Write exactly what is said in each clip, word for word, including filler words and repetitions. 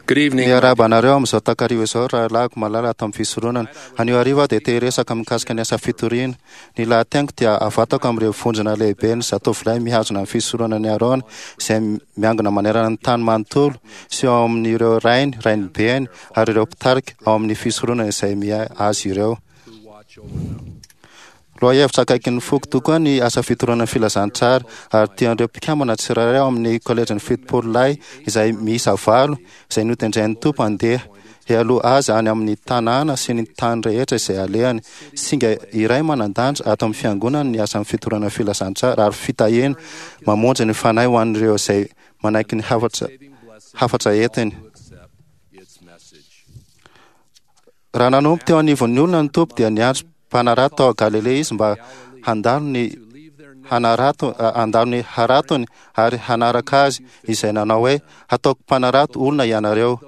Good evening. Miarahaba anareo amin'izao takariva izao rahalahiko malala ato amin'ny fisoronana. Anio hariva aho dia te hiresaka mikasika ny asa fitoriana. Ny lahateniko dia avatako amin'ireo vondrona lehibe ny zatovolahy mihazona ny fisoronana Arona izay miangona manerana ny tany manontolo sy ao amin'ireo rainy, rainibeny ary ireo mpitarika ao amin'ny fisoronana izay miahy azy ireo. Lohahevitra akaikin'ny foko tokoa ny asa fitoriana ny filazantsara ary tian'ireo mpikambana tsirairay ao amin'ny kolejin'ny fitopolo lahy izay miisa valo izay notendren'ny Tompo handeha hialoha azy any amin'ny tanàna sy ny tany rehetra izay alehany. Singa iray manan-danja ato amin'ny fiangonana ny asan'ny fitoriana ny filazantsara ary fitahiana mamonjy ny fanahy ho an'ireo izay manaiky ny hafatra hafatra entiny. Raha nanompo teo anivon'ny olona ny Tompo dia niantso mpanarato tao Galilea izy mba handalo ny hanarato handalo ny haratony ary hanaraka azy izay nanao hoe hataoko mpanarato olona ianareo.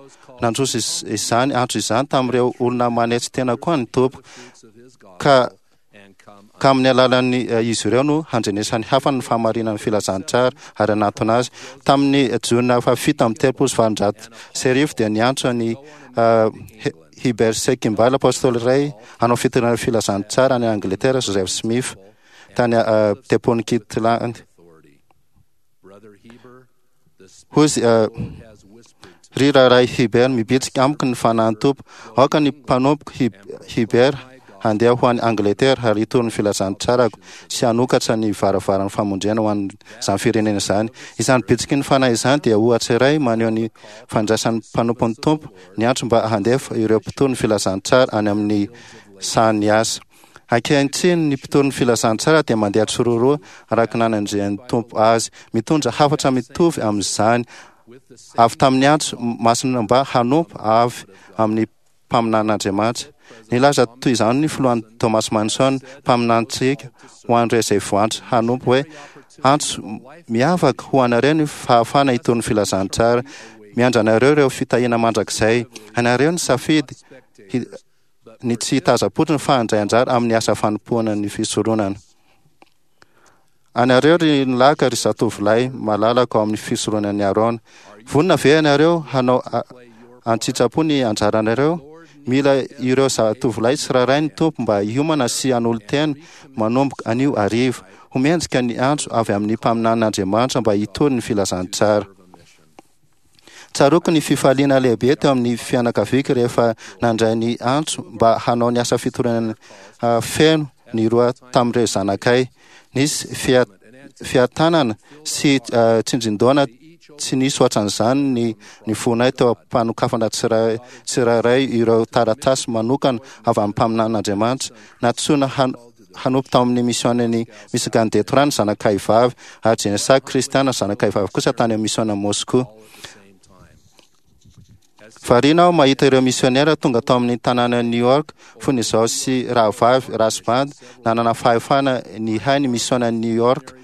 Nandroso izany antso izany tamin'ireo olona manetry tena koa ny Tompo ka ka amin'ny alalan'ny izy ireo no handrenesan'ny hafa ny fahamarinan'ny filazantsara ary hanatona azy. Tamin'ny jona fahafito amby telopolo sy valonjato sy arivo dia niantso ny Heber C. Kimball, apôstôly iray hanao fitoriana filazantsara any Angleterre, Joseph Smith tany Tempolin'i Kirtland. Hoy izy, ry rahalahy Heber, mibitsika amiko ny fanahin'ny Tompo. Aoka ny mpanompoko Heber handeha ho any Angleterre ary hitory ny filazantsarako sy hanokatra ny varavaran'ny famonjena ho an'izany firenena izany. Izany bitsiky ny fanahy izany dia ohatra iray maneho ny fandraisan'ny mpanompon'ny Tompo ny antso mba handefa ireo mpitory ny filazantsara any amin'ny sahan'ny asa. Ankehitriny ny mpitory ny filazantsara dia mandeha tsiroaroa araka ny nanendren'ny Tompo azy, mitondra hafatra mitovy amin'izany avy tamin'ny antso masina mba hanompo avy amin'ny mpaminanin'Andriamanitra. Nilaza toy izany ny filohan'i Thomas Manson, mpaminanintsika ho an'ireo izay voantso hanompo hoe antso miavaka ho anareo ny fahafahana hitory ny filazantsara. Miandry anareo ireo fitahiana mandrakizay. Anareo ny safidy ny tsy hitazam-potsiny fa handray anjara amin'ny asa fanompoana ny fisoronana. Anareo ry nilaka ry zatovolahy malalako ao amin'ny fisoronan'i Arona. Vonona ve ianareo hanao an-tsitrapo ny anjaranareo? Mila ireo zatovolahy tsirairay ny Tompo mba hiomana sy hanolo-tena manomboka anio hariva. Ho mendrika ny antso avy amin'ny mpaminanin'Andriamanitra mba hitory ny filazantsara. Tsaroako ny fifaliana lehibe teo amin'ny fianakaviako rehefa nandray ny antso mba hanao ny asa fitoriana feno ny roa tamin'ireo zanakay. Nisy fiatanana sy tsindrin-daona tsy nisy ohatran'izany ny ny fonay teo am-panokafana tsirairay ireo taratasy manokana avy amin'ny mpaminanin'Andriamanitra. Nantsoina hanompo tao amin'ny misionan'i Michigan Detroit ny zanakay vavy ary Jenessa Kristiana zanakay vavy kosa tany amin'ny misiona Moscou. Variana aho mahita ireo misionera tonga tao amin'ny tanànan'i New York fony izaho sy rahavavy Rasband nanana fahefana nihay ny misionan'i New York.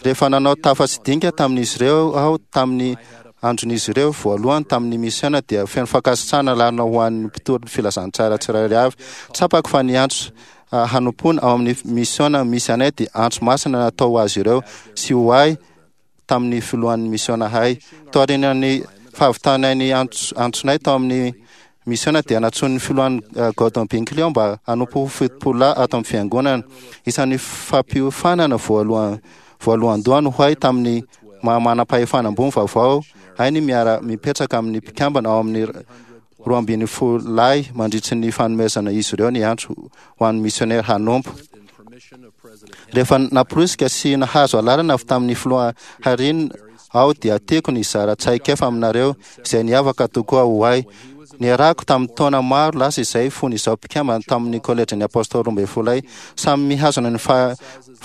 Rehefa nanao tafa sy dinika tamin'izy ireo aho tamin'ny andron'izy ireo voalohany tamin'ny misiona dia feno fankasitrahana lalina ho an'ny mpitory ny filazantsara tsirairay avy. Tsapako fa ny antso hanompoana ao amin'ny misiona misy anay dia antso masina natao ho azy ireo sy ho ahy tamin'ny filohan'ny misiona ahay. Taorian'ny fahavitanay ny antsonay tao amin'ny misiona dia nantsoin'ny filohan'ny Gordon Binkley aho mba hanompo ho fitopolo lahy ato amin'ny fiangonana. Isan'ny fampiofanana voalohany voalohandohany ho ahy tamin'ny maha manam-pahefana ambony vaovao ahy ny miara mipetraka amin'ny mpikambana ao amin'ny roa ambin'ny folo lahy mandritry ny fanomezana izy ireo ny antso ho an'ny misionera hanompo. Rehefa namporisika sy nahazo alalana avy tamin'ny filoha Harin aho dia tiako ny hizara traikefa aminareo izay niavaka tokoa ho ahy. Niarahako tamin'ny taona maro lasa izay fony izaho mpikambana tamin'ny kolejin'ny apôstôly roa ambin'ny folo ahy. Samy mihazona ny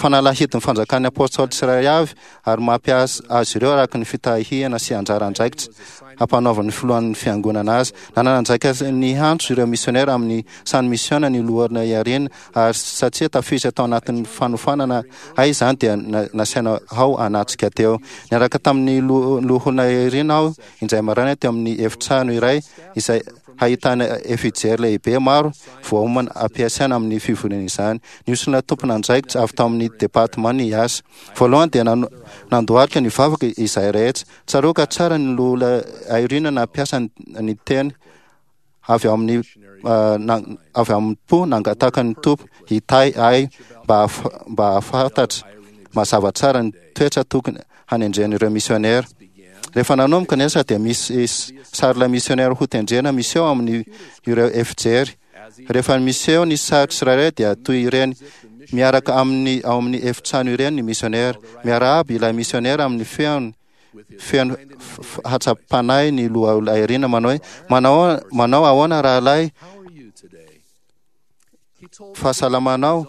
fanalahidin'ny fanjakan'ny apôstôly tsirairay avy ary mampiasa azy ireo araka ny fitahiana sy anjara andraikitra ampanaovan'ny filohan'ny fiangonana azy. Nanana andraikitra niantso ireo misionera amin'ny sahan'ny misiona ny loholona Irene ary satria tafiditra tao anatin'ny fanofanana ahy izany dia nasaina aho hanatrika teo. Niaraka tamin'ny loholona Irene aho indray maraina teo amin'ny efitrano iray izay Hahitana efijery lehibe maro voaomana ampiasaina amin'ny fivoriana izany. Nisy tompon'andraikitra avy tao amin'ny departement ny asa. Voalohany dia nandohalika nivavaka izahay rehetra. Tsaroako tsara ny loholona Eyring nampiasa ny teny avy ao amin'ny avy amin'ny po nangataka ny Tompo hitahy ahy mba mba hahafantatra mazava tsara ny toetra tokony hanendren'ireo misionera. Rehefa nanomboka ny asa dia misy sarin'ilay misionera ho tendrena miseho amin'ny ireo efijery. Rehefa miseho ny sary tsirairay dia toy ireny miaraka amin'ny ao amin'ny efitrano ireny ny misionera. Miarahaba ilay misionera amin'ny feony feno hatsapanahy ny loholona Eyring manao hoe manao manao ahoana rahalahy, fahasalamanao.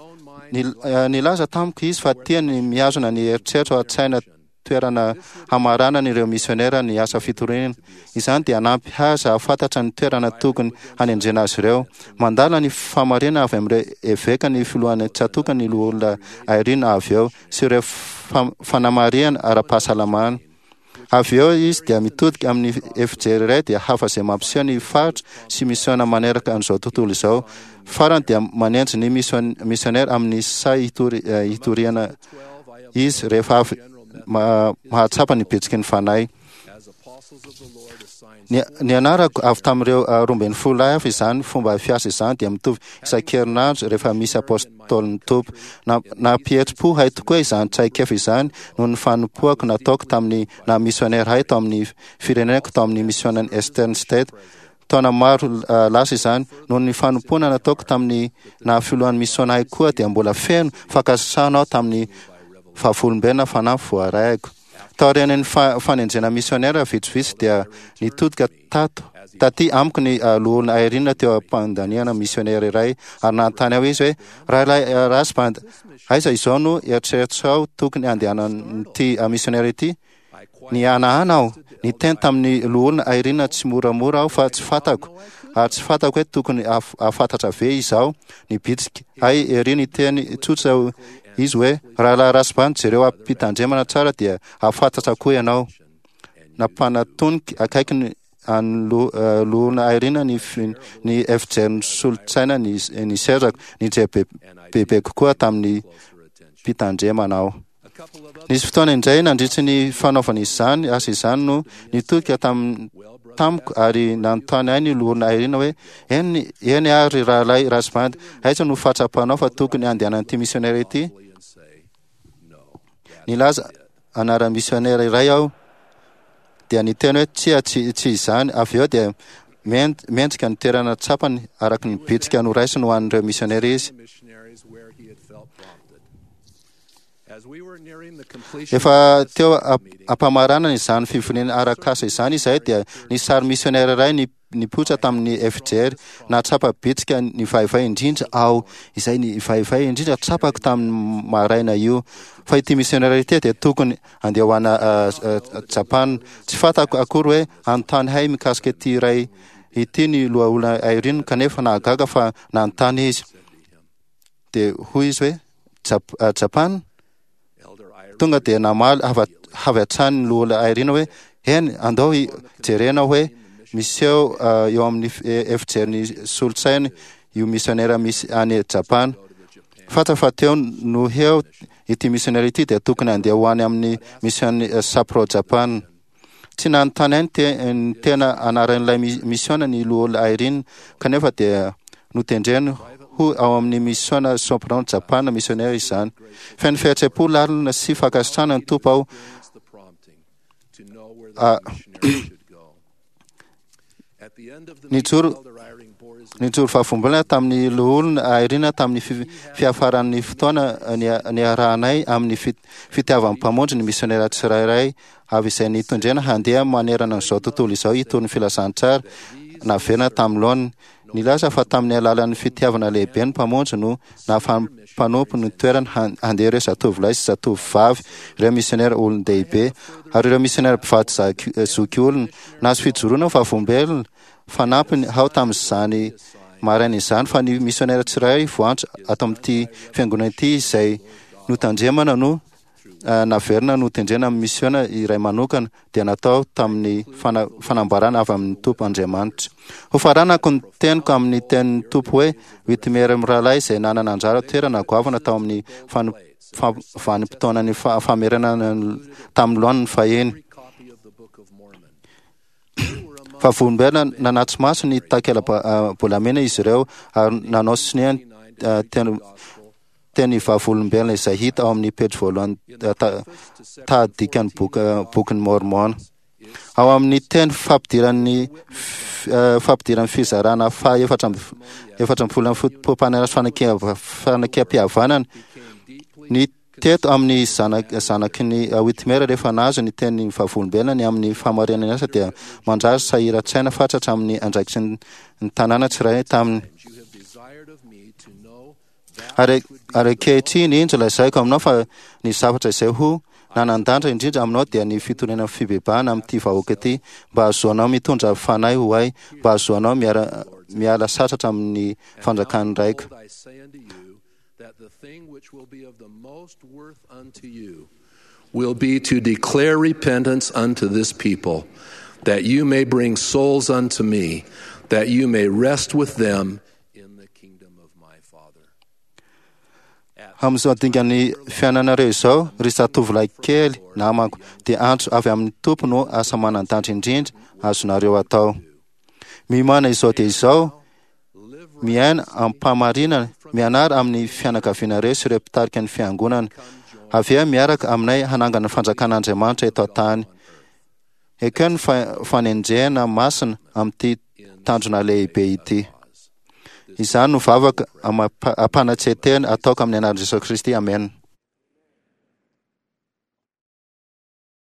Nilaza tamiko izy fa tiany mihazona ny eritreritra ao an-tsaina toerana hamaranana ireo misionera ny asa fitoriana. Izany dia hanampy azy hahafantatra ny toerana tokony hanendrena azy ireo. Mandala ny fahamarinana avy amin'ireo eveka ny filohan'ny tsatòka ny loholona Eyring avy eo sy ireo fanamarihana ara-pahasalamana. Avy eo izy dia mitodika amin'ny efijery iray dia hafa izay mampiseho ny faritra sy misiona maneraka an'izao tontolo izao. Farany dia manendry ny misionera amin'ny saha hitoriana izy rehefa avy mahatsapa ny bitsiky ny Fanahy. Ny anarako avy tamin'ireo roa ambin'ny folo lahy hafa izany fomba fiasa izany dia mitovy isan-kerinandro rehefa misy apôstôlin'ny Tompo. Nampihetsi-po ahy tokoa izany traikefa izany noho ny fanompoako nataoko tamin'ny naha misionera ahy tao amin'ny fireneko tao amin'ny misionan'ny Eastern State. Taona maro lasa izany. Noho ny fanompoana nataoko tamin'ny naha filohan'ny misiona ahy koa dia mbola feno fankasitrahana aho tamin'ny vavolombelona fanampy voarayako. Taorian'ny fanendrena misionera vitsivitsy dia nitodika tato taty amiko ny loholona Eyring teo am-pandaniana misionera iray ary nanontany aho izy hoe rahalahy Rasband, aiza izao no eritreritrao tokony andehanan'ity misionera ity? Nihanahana aho. Niteny tamin'ny loholona Eyring tsy moramora aho fa tsy fantako ary tsy fantako hoe tokony hahafantatra ve izaho. Nibitsika ahy ery niteny tsotra izy hoe rahalahy Rasband, jereo am-pitandremana tsara dia hahafantatra koa ianao. Nampanatoniky akaiky ny an'ny loholona Eyring ny ny efijerin'ny solon-tsaina ny ny sezako. Nijery bebe kokoa tamin'ny mpitandremana aho. Nisy fotoana indray nandritry ny fanaovana izany asa izany no nitodika tam tamiko ary nanontany ahy ny loholona Eyring hoe eny eny ary rahalahy Rasband, aiza no fahatsapanao fa tokony andehanan'ity misionera ity? Nilaza anaran'ny misionera iray aho dia niteny hoe tsia, tsy tsy izany. Avy eo dia mendrika ny toerana tsapany araka ny bitsika noraisiny ho an'ireo misionera izy. Efa teo ampamaranana izany fivoriana arak'asa izany izahay dia nisy sary misionera iray nipoitra tamin'ny efijery. Nahatsapa bitsika nivaivay indrindra aho, izay nivaivay indrindra tsapako tamin'ny maraina io, fa ity misionera ity dia tokony andeha ho any Japana. Tsy fantako akory hoe hanontany ahy mikasika ity iray ity ny loholona Eyring, kanefa nahagaga fa nanontany izy. Dia hoy izy hoe Japana? Tonga dia namaly avy hatrany ny loholona Eyring hoe eny, andao jerena hoe miseho eo amin'ny efijerin'ny solon-tsainy io misionera misy any Japana. Fantatra fa teo no eo ity misionera ity dia tokony handeha ho any amin'ny mision'ny Sapporo Japana. Tsy nanontany ahy ny tena anaran'ilay misiona ny loholona Eyring, kanefa dia notendreny ho ao amin'ny misiona Sapporo Japana misionera izany. Feno fihetseham-po lalina sy fankasitrahana ny Tompo aho. Nijoro nijoro vavolombelona tamin'ny loholona Eyring tamin'ny fiafaran'ny fotoana niarahanay amin'ny fitiavan'ny Mpamonjy ny misionera tsirairay avy izay nitondrena handeha manerana an'izao tontolo izao hitory ny filazantsara naverina tamin'ny laoniny. Nilaza fa tamin'ny alalan'ny fitiavana lehibe ny Mpamonjy no nahafahan'ny mpanompo ny toerany handeha ireo zatovolahy sy zatovovavy, ireo misionera olon-dehibe, ary ireo misionera mpivady zokiolona. Nahazo fijoroana ho vavolombelona fanampiny aho tamin'izany maraina izany fa ny misionera tsirairay voantso ato amin'ity fiangonana ity izay notandremana no naverina notendrena amin'ny misiona iray manokana dia natao tamin'ny fanambarana avy amin'ny Tompo Andriamanitra. Hofaranako ny teniko amin'ny tenin'ny Tompo hoe Whitmer mirahalahy izay nanana anjara toerana goavana tao amin'ny vanim-potoanan'ny famerenana tamin'ny laoniny fahiny. Vavolombelona nanatri-maso ny takela-bolamena izy ireo ary nanao sonia teny teny vavolombelona izay hita ao amin'ny pejy voalohany tahadikan'ny bokin'ny Mormona. Ao amin'ny teny fampidiran'ny fampidiran'ny fizarana faha efatra amby efatra ambin'ny folo amin'ny foto-pampanana fanekempihavanana ny teto amin'ny zanak zanaky ny Whitmer rehefa nahazo ny teny vavolombelona ny amin'ny fahamarinana asa dia manjary sahiran-tsaina fatratra amin'ny andraikitry ny tanàna tsirairay taminy. Ary ary ankehitriny indro lazaiko aminao fa ny zavatra izay ho nanan-danja indrindra aminao dia ny fitoriana fibebahana amin'ity vahoaka ity mba hahazoanao mitondra fanahy ho ahy, mba hahazoanao miara miala sasatra amin'ny fanjakan'ny Raiko. That the thing which will be of the most worth unto you will be to declare repentance unto this people, that you may bring souls unto me, that you may rest with them in the kingdom of my Father. Amin'izao dingan'ny fiainanareo izao, ry zatovolahy kely namako, dia antso avy amin'ny Tompo no asa manan-danja indrindra azonareo atao. Miomàna izao dia izao, miaina am-pahamarinana, mianara amin'ny fianakavianareo sy ireo mpitarika ny fiangonana. Avy eo miaraka aminay hanangana ny fanjakan'Andriamanitra eto an-tany. Ekeo ny fanenjehana masina amin'ity tanjona lehibe ity. Izany no vavaka ampanatsen-tena ataoko amin'ny anaran'i Jesosy Kristy. Amen.